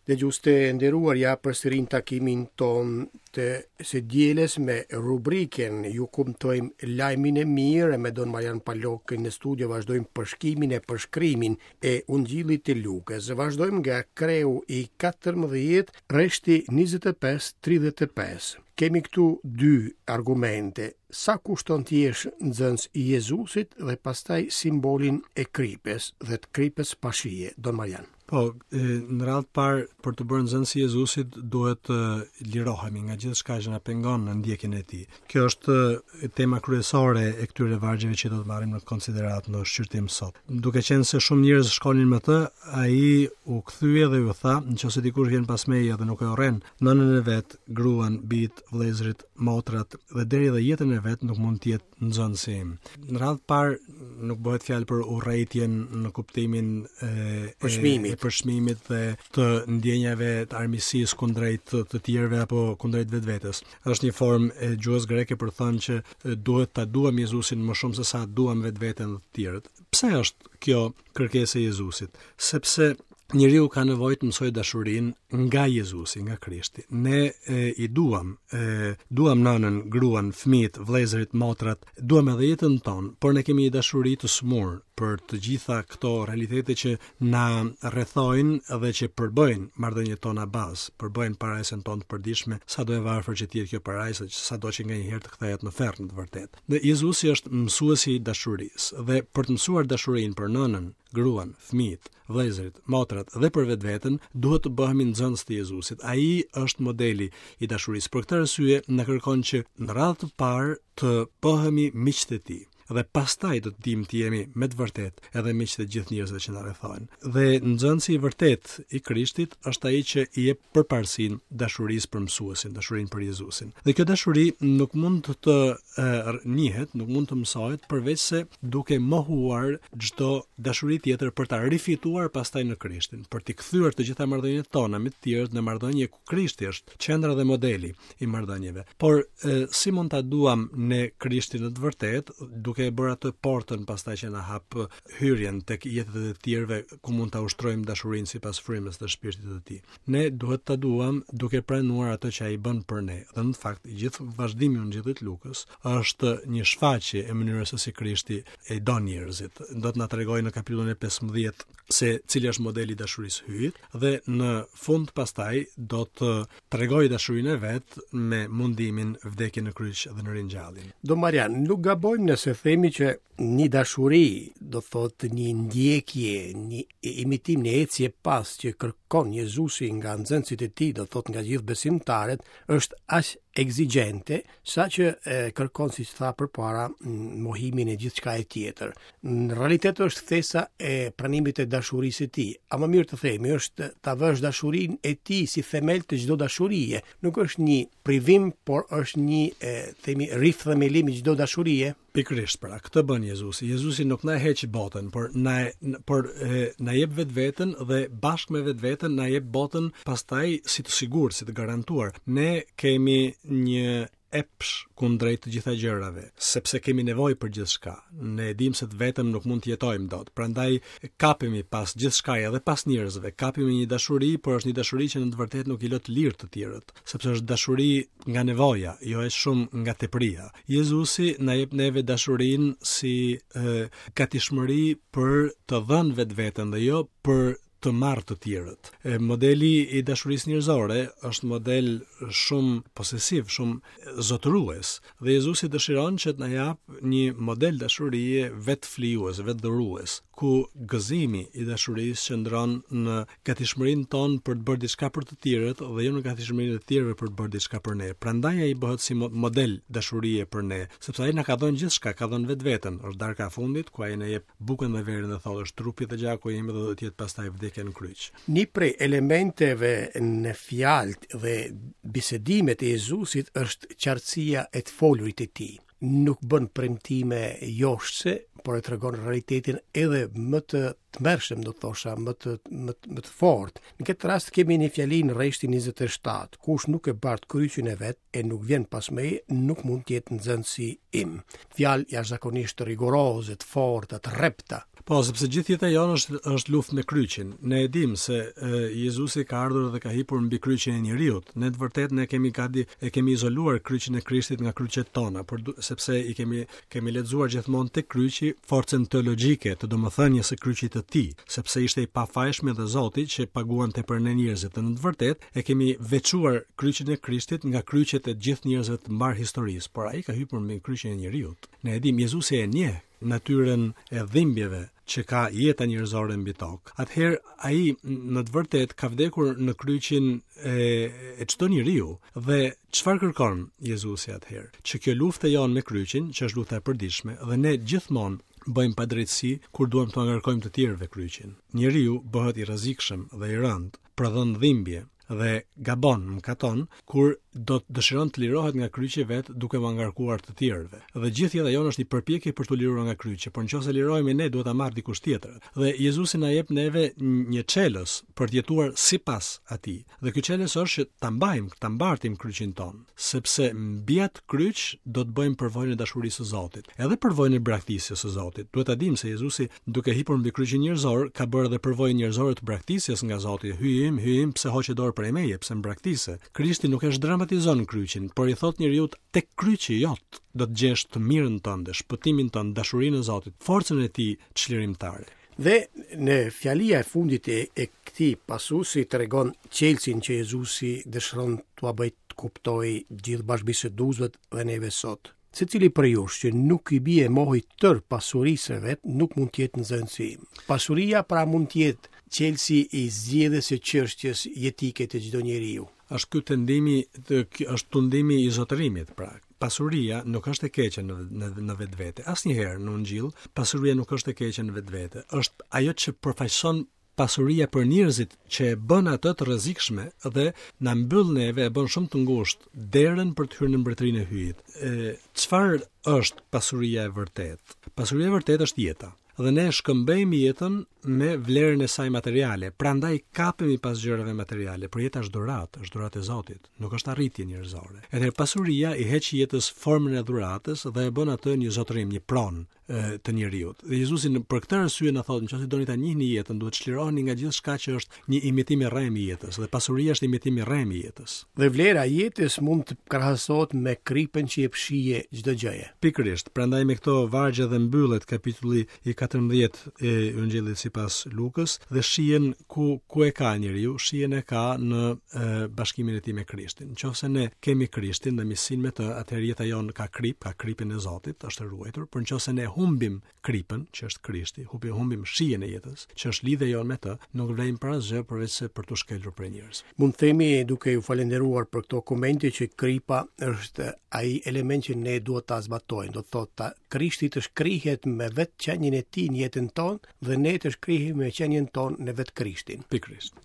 Dëgjues të nderuar, ja përsëri në takimin tonë të së dielës me rubrikën Ju kumtojmë lajmin e mirë me Don Marian Palokën në studio vazhdojmë përshkimin e përshkrimin e Ungjillit të Lukës. Vazhdojmë nga kreu i 14, rreshti 25-35. Kemi këtu dy argumente. Sa kushton të jesh nxënës i Jezusit dhe pastaj simbolin e kripës dhe të kripës pa shije, Don Marian. Po, në radhë të parë, për t'u bërë nxënës i Jezusit, duhet të lirohemi nga gjithçka që na pengon në ndjekjen e tij. Kjo është tema kryesore e këtyre vargjeve që do të marrim në konsideratë në shqyrtim sot. Duke qenë se shumë njerëz shkonin me të, ai u kthye dhe u tha, nëse dikush vjen pas meje dhe nuk e urren nënën e vet, gruan, bijtë, vëllezërit, motrat dhe deri edhe jetën e vet, nuk mund të jetë nxënësi im. Në radhë të parë nuk bëhet fjalë për urrejtjen në kuptimin e përçmimit, e, e përçmimit dhe të ndjenjave të armiqësisë kundrejt të, të tjerëve apo kundrejt vetvetes. Është një formë e gjuhës greke për të thënë që duhet ta duam Jezusin më shumë se sa duam vetveten dhe të tjerët. Pse është kjo kërkesë e Jezusit? Sepse njeriu ka nevojë të mësojë dashurinë nga Jezusi, nga Krishti. Ne e, i duam, e, duam nënën, gruan, fëmijët, vëllezërit, motrat, duam edhe jetën tonë, por ne kemi një dashuri të sëmurë për të gjitha këto realitete që na rrethojnë dhe që përbëjnë marrëdhëniet tona bazë, përbëjnë parajsën tonë të përditshme, sado e varfër që të jetë kjo parajsë, sado që nganjëherë të kthehet në ferr në të vërtetë. Dhe Jezusi është mësuesi i dashurisë dhe për të mësuar dashurinë për nënën, gruan, fëmijët, vëllezërit, motrat dhe për vetveten, duhet të bëhemi nxënës të Jezusit. Ai është modeli i dashurisë. Për këtë arsye na kërkon që në radhë të parë të bëhemi miqtë e tij dhe pastaj do të dimë të jemi me të vërtetë edhe miqtë e gjithë njerëzve që na rrethojnë. Dhe nxënësi i vërtetë i Krishtit është ai që i jep përparësinë dashurisë për mësuesin, dashurinë për Jezusin. Dhe kjo dashuri nuk mund të njihet, nuk mund të mësohet përveçse duke mohuar çdo dashuri tjetër për ta rifituar pastaj në Krishtin, për t'i kthyer të gjitha marrëdhëniet tona me të tjerët në marrëdhënie ku Krishti është qendra dhe modeli i marrëdhënieve. Por e, si mund ta duam ne Krishtin në të vërtetë, duke e bërë atë portën pastaj që na hap hyrjen tek jetët e të tjerëve ku mund ta ushtrojmë dashurinë sipas frymës dhe shpirtit të tij. Ne duhet ta duam duke pranuar atë që ai bën për ne. Dhe në fakt, i gjithë vazhdimi i Ungjillit të Lukës është një shfaqje e mënyrës se si Krishti e do njerëzit. Do të na tregojë në kapitullin e 15 se cili është modeli i dashurisë së Hyjit dhe në fund pastaj do të tregojë dashurinë e vet me mundimin, vdekjen në kryq dhe në ringjalljen. Don Marian, nuk gabojmë nëse themi që një dashuri, do thotë një ndjekje, një imitim, një ecje pas që kërkon Jezusi nga nxënësit e tij, do thotë nga gjithë besimtarët, është aq ekzigjente saqë e, kërkon siç tha përpara mohimin e gjithçkaje tjetër. Në realitet është kthesa e pranimit të dashurisë së tij. A më mirë të themi është ta vësh dashurinë e tij si themel të çdo dashurie. Nuk është një privim, por është një e, themi rithemelim i çdo dashurie. Pikërisht pra, këtë bën Jezusi. Jezusi nuk na heq botën, por na por e, na jep vetveten dhe bashkë me vetveten na jep botën pastaj si të sigurt, si të garantuar. Ne kemi një epsh kundrejt të gjitha gjërave, sepse kemi nevojë për gjithçka. Ne e dimë se të vetëm nuk mund të jetojmë dot. Prandaj kapemi pas gjithçkaje edhe pas njerëzve, kapemi një dashuri, por është një dashuri që në të vërtetë nuk i lë të lirë të tjerët, sepse është dashuri nga nevoja, jo aq shumë nga tepria. Jezusi na jep neve dashurinë si e, gatishmëri për të dhënë vetveten dhe jo për të marrë të tjerët. E, modeli i dashurisë njerëzore është model shumë posesiv, shumë zotërues dhe Jezusi dëshiron që të na japë një model dashurie vetëflijues, vetëdhurues, ku gëzimi i dashurisë qëndron në gatishmërinë tonë për të bërë diçka për të tjerët dhe jo në gatishmërinë e të tjerëve për të bërë diçka për ne. Prandaj ai bëhet si model dashurie për ne, sepse ai na ka dhënë gjithçka, ka dhënë vetveten. Është darka e fundit ku ai na jep bukën dhe verën dhe thotë është trupi dhe gjaku im dhe do të jetë pastaj vdekja në kryq. Një prej elementeve në fjalët dhe bisedimet e Jezusit është qartësia e të folurit të tij. Nuk bën premtime joshëse, por e tregon realitetin edhe më të tmerrshëm, do të thosha, më të më të, më të fortë. Në këtë rast kemi një fjali në rreshtin 27, kush nuk e bart kryqin e vet e nuk vjen pas meje, nuk mund të jetë nxënësi im. Fjalë jashtëzakonisht rigoroze, të forta, të rrepta. Po, sepse gjithë jeta jonë është është luftë me kryqin. Ne e dimë se e, Jezusi ka ardhur dhe ka hipur mbi kryqin e njeriut. Ne të vërtetë ne kemi gati e kemi izoluar kryqin e Krishtit nga kryqet tona, por sepse i kemi kemi lexuar gjithmonë tek kryqi forcën teologjike të domethënies së kryqit të tij, sepse ishte i pafajshmi dhe Zoti që paguante për ne njerëzit. Dhe në të vërtetë e kemi veçuar kryqin e Krishtit nga kryqet e gjithë njerëzve të mbarë historisë, por ai ka hipur mbi kryqin e njeriut. Ne e dimë Jezusi e njeh natyrën e dhimbjeve që ka jeta njerëzore mbi tokë. Atëherë ai në të vërtetë ka vdekur në kryqin e e çdo njeriu dhe çfarë kërkon Jezusi atëherë? Që kjo luftë e jonë me kryqin, që është lufta e përditshme dhe ne gjithmonë bëjmë padrejtësi kur duam t'ua ngarkojmë të tjerëve kryqin. Njeriu bëhet i rrezikshëm dhe i rëndë, prodhon dhimbje dhe gabon, mëkaton, kur do të dëshiron të lirohet nga kryqi vet duke ua ngarkuar të tjerëve. Dhe gjithë jeta jonë është një përpjekje për t'u liruar nga kryqi, por nëse lirohemi ne duhet ta marrë dikush tjetër. Dhe Jezusi na jep neve një çelës për të jetuar sipas atij. Dhe ky çelës është që ta mbajmë, ta mbartim kryqin tonë, sepse mbi atë kryq do të bëjmë përvojën e dashurisë së Zotit, edhe përvojën e braktisjes së Zotit. Duhet ta dimë se Jezusi duke hipur mbi kryqin njerëzor, ka bërë edhe përvojën njerëzore të braktisjes nga Zoti. Hyji im, Hyji im, pse hoqe dorë prej meje, pse më braktise? Krishti nuk e zhdramatizon kryqin, por i thotë njeriut tek kryqi jot do të gjesh të mirën tënde, shpëtimin tënd, dashurinë e Zotit, forcën e tij çlirimtare. Dhe në fjalia e fundit e, e këtij pasusi tregon çelësin që Jezusi dëshiron t'ua bëjë të kuptojë gjithë bashkëbiseduesve dhe neve sot. Secili prej jush që nuk i bie mohit tërë pasurisë së vet, nuk mund të jetë nxënësi im. Pasuria pra mund të jetë çelësi i zgjidhjes së çështjes jetike të çdo njeriu. Është ky tendimi, është tundimi i zotërimit, pra. Pasuria nuk është e keqe në në në vetvete. Asnjëherë në Ungjill pasuria nuk është e keqe në vetvete. Është ajo që përfaqëson pasuria për njerëzit që e bën atë të rrezikshme dhe na mbyll neve e bën shumë të ngushtë derën për të hyrë në mbretërinë e Hyjit. E çfarë është pasuria e vërtetë? Pasuria e vërtetë është jeta. Dhe ne e shkëmbejmë jetën me vlerën e saj materiale. Prandaj kapemi pas gjërave materiale, por jeta është dhuratë, është dhuratë e Zotit, nuk është arritje njerëzore. Atëherë pasuria i heq jetës formën e dhuratës dhe e bën atë një zotërim, një pronë të njeriut. Dhe Jezusi në për këtë arsye na thotë, nëse doni ta njihni jetën, duhet të çliroheni nga gjithçka që është një imitim i rremë i jetës dhe pasuria është imitim i rremë i jetës. Dhe vlera e jetës mund të krahasohet me kripën që jep shije çdo gjëje. Pikërisht, prandaj me këto vargje dhe mbyllet kapitulli i 14 i Ungjillit sipas Lukës dhe shijen ku ku e ka njeriu, shijen e ka në e, bashkimin e tij me Krishtin. Nëse ne kemi Krishtin dhe miqësinë me të, atëherë jeta jonë ka kripë, ka kripën e Zotit, është e ruajtur, por nëse ne humbim kripën, që është Krishti, humbim humbim shijen e jetës, që është lidhja jonë me të, nuk vlejmë për asgjë përveç se për t'u shkelur prej njerëzve. Mund të themi duke ju falënderuar për këto komente që kripa është ai element që ne duhet ta zbatojmë, do të thotë ta Krishti të shkrihet me vetë qenien e tij në jetën tonë dhe ne të shkrihemi me qenien tonë në vetë Krishtin. Pikërisht.